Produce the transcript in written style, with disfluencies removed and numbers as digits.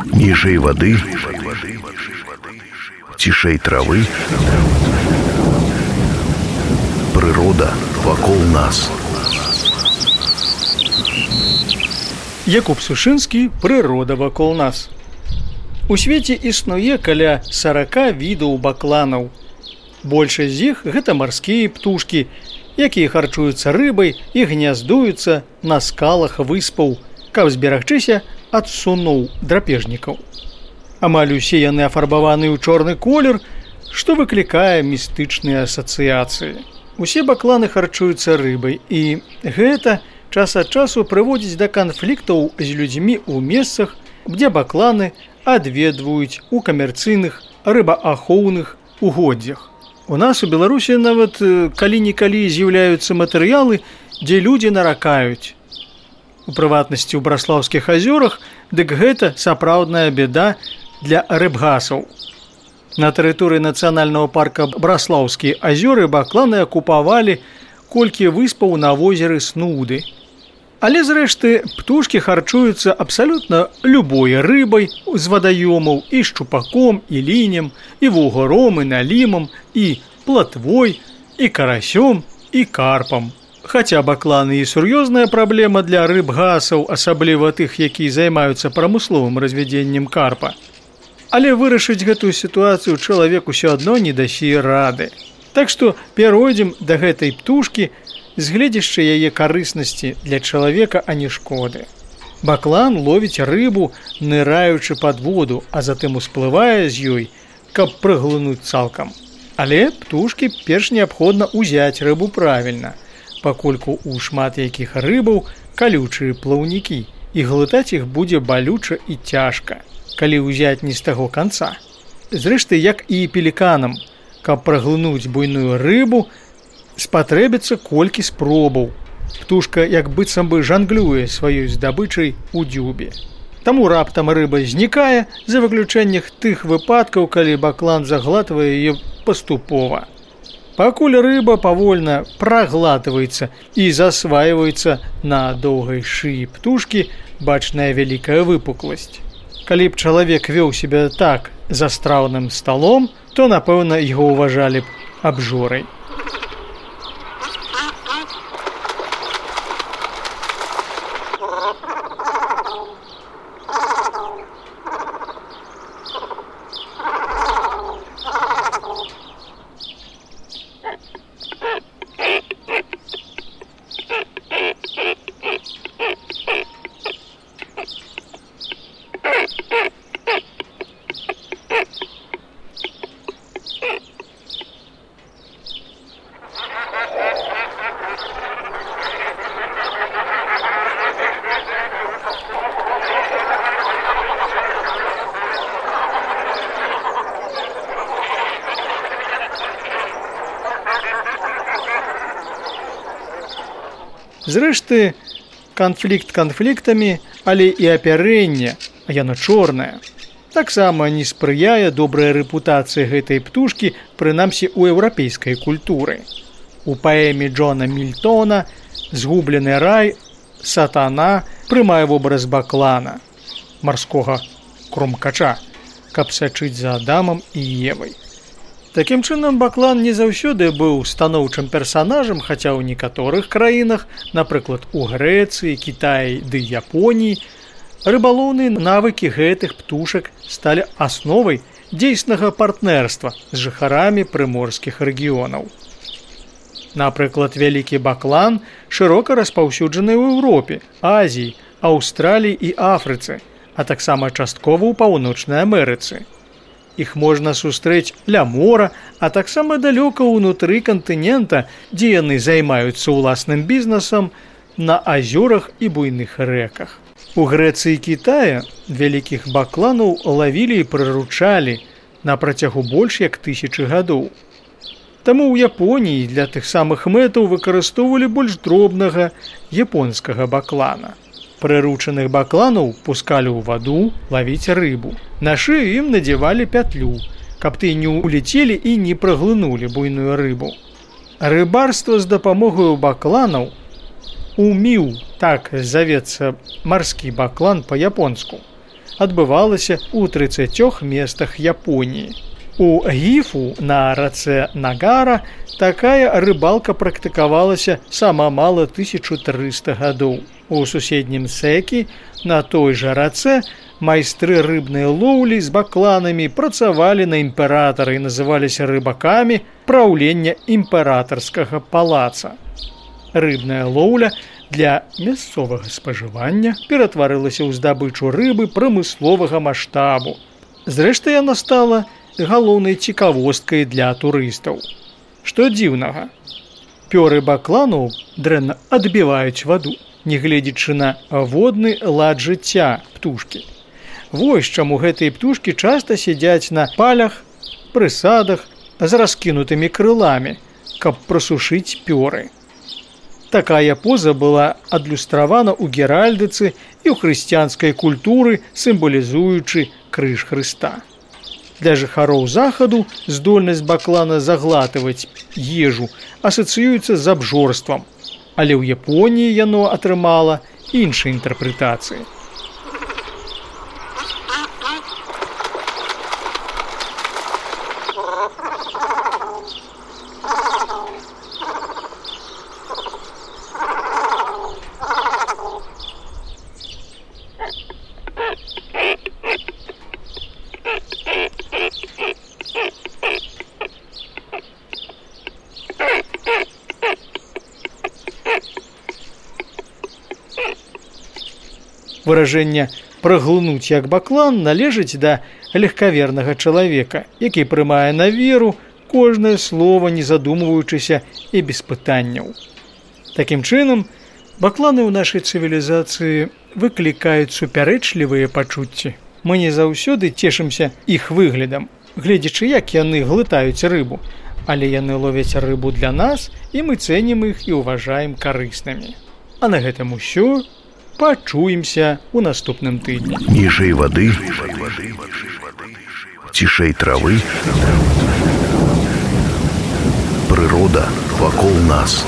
Ніжэй вады, цішэй травы, прырода вакол нас. Якуб Сушынскі, прырода вакол нас. У свеце існуе каля 40 відаў бакланаў. Большасць з іх гэта марскія птушкі, якія харчуюцца рыбай і гняздуюцца на скалах выспаў, каб зберагчыся ад суноў драпежнікаў. Амаль усе яны афарбаваны ў чорны колер, што выклікае містычныя асацыяцыі. Усе бакланы харчуюцца рыбай, і гэта час ад часу прыводзіць да канфліктаў з людзьмі ў месцах, дзе бакланы адведваюць у камерцыйных рыбаахоўных угоддзях. У нас у Беларусі нават калі-нікалі з'яўляюцца матэрыялы, дзе людзі наракаюць. У прыватнасці ў Браслаўскіх азёрах, дык гэта сапраўдная бяда для рыбгасаў. На тэрыторыі нацыянальнага парка Браслаўскія азёры бакланы акупавалі колькі выспаў на возеры Снуды. Але, зрэшты, птушкі харчуюцца абсалютна любой рыбай з вадаёмаў, і шчупаком, і лінем, і вугором, і налімам, і платвой, і карасём, і карпам. Хаця бакланы і сур'ёзная праблема для рыбгасаў, асабліва тых, якія займаюцца прамысловым развядзеннем карпа. Але вырашыць гэтую сітуацыю чалавек усё адно не дасі рады. Так што перайдзем да гэтай птушкі з гледзяшча яе карыснасці для чалавека, а не шкоды. Баклан ловіць рыбу, ныраючы пад воду, а затым усплывае з ёй, каб праглынуць цалкам. Але птушкі перш неабходна ўзяць рыбу правільна, пакольку ў шмат якіх рыбаў калючыя плаўнікі, і глытаць іх будзе балюча і цяжка, калі ўзяць не з таго канца. Зрэшты, як і пеліканам, каб праглынуць буйную рыбу, спатрэбіцца колькі спробаў. Птушка як быццам бы жанглюе сваёй здабычай у дзюбе. Таму раптам рыба знікае, за выключэннях тых выпадкаў, калі баклан заглатвае яе паступова. Пакуль рыба павольна праглатваецца і засвайваецца на доўгай шыі птушкі, бачная вялікая выпукласць. Калі б чалавек вёў сябе так за страўным сталом, то, напэўна, яго ўважалі б абжорай. Зрэшты, канфлікт канфліктамі, але і апярэнне, а яно чорнае, таксама не спрыяе добрая рэпутацыя гэтай птушкі, прынамсі ў еўрапейскай культуры. У паэме Джона Мільтона «Згублены рай» сатана прымае вобраз баклана, марскога кромкача, каб сачыць за Адамам і Евай. Такім чынам, баклан не заўсёды быў станоўчым персанажам, хаця ў некаторых краінах, напрыклад, у Грэцыі, Кітаі ды Японіі, рыбалоўныя навыкі гэтых птушак сталі асновай дзейснага партнерства з жыхарамі прыморскіх рэгіёнаў. Напрыклад, вялікі баклан шырока распаўсюджаны ў Еўропе, Азіі, Аўстраліі і Афрыцы, а таксама часткова ў Паўночнай Амерыцы. Іх можна сустрэць ля мора, а таксама далёка ўнутры кантынента, дзе яны займаюцца ўласным бізнесам на азёрах і буйных рэках. У Грэцыі і Кітаі вялікіх бакланаў лавілі і прыручалі на працягу больш як 1000 гадоў. Таму ў Японіі для тых самых мэтаў выкарыстоўвалі больш дробнага японскага баклана. Прыручаных бакланаў пускалі ў ваду лавіць рыбу. На шыю ім надзявалі пятлю, каб тыя не ўляцелі і не праглынулі буйную рыбу. Рыбарства з дапамогаю бакланаў уміў, так завецца марскі баклан па-японску, адбывалася ў 30 месцах Японіі. У Гіфу на рацэ Нагара такая рыбалка практыкавалася сама мала 1300 гадоў. У суседнім Сэкі на той жа рацэ майстры рыбнай лоўлі з бакланамі працавалі на імператара і называліся рыбакамі праўлення імператарскага палаца. Рыбная лоўля для мясцовага спажывання ператварылася ў здабычу рыбы прамысловага маштабу. Зрэшты, яна стала галоўнай цікавосткай для турыстаў. Што дзіўнага? Пёры бакланаў дрэнна адбіваюць ваду, нягледзячы на водны лад жыцця птушкі. Вось чаму гэтыя птушкі часта сядзяць на палях, прысадах з раскінутымі крыламі, каб прасушыць пёры. Такая поза была адлюстравана ў геральдыцы і ў хрысціянскай культуры, сімвалізуючы крыж Хрыста. Для жыхароў захаду здольнасць баклана заглатываць ежу асацыюецца з абжорствам, але ў Японіі яно атрымала іншыя інтэрпрэтацыі. Выражэнне «праглынуць як баклан» належыць да легкавернага чалавека, які прымае на веру кожнае слова, не задумваючыся і без пытанняў. Такім чынам, бакланы ў нашай цывілізацыі выклікаюць супярэчлівыя пачуцці. Мы не заўсёды цешымся іх выглядам, гледзячы, як яны глытаюць рыбу, але яны ловяць рыбу для нас, і мы цэнім іх і ўважаем карыснымі. А на гэтым усё. Пачуемся ў наступным тыдні. Ніжэй вады, цішэй травы, прырода вакол нас.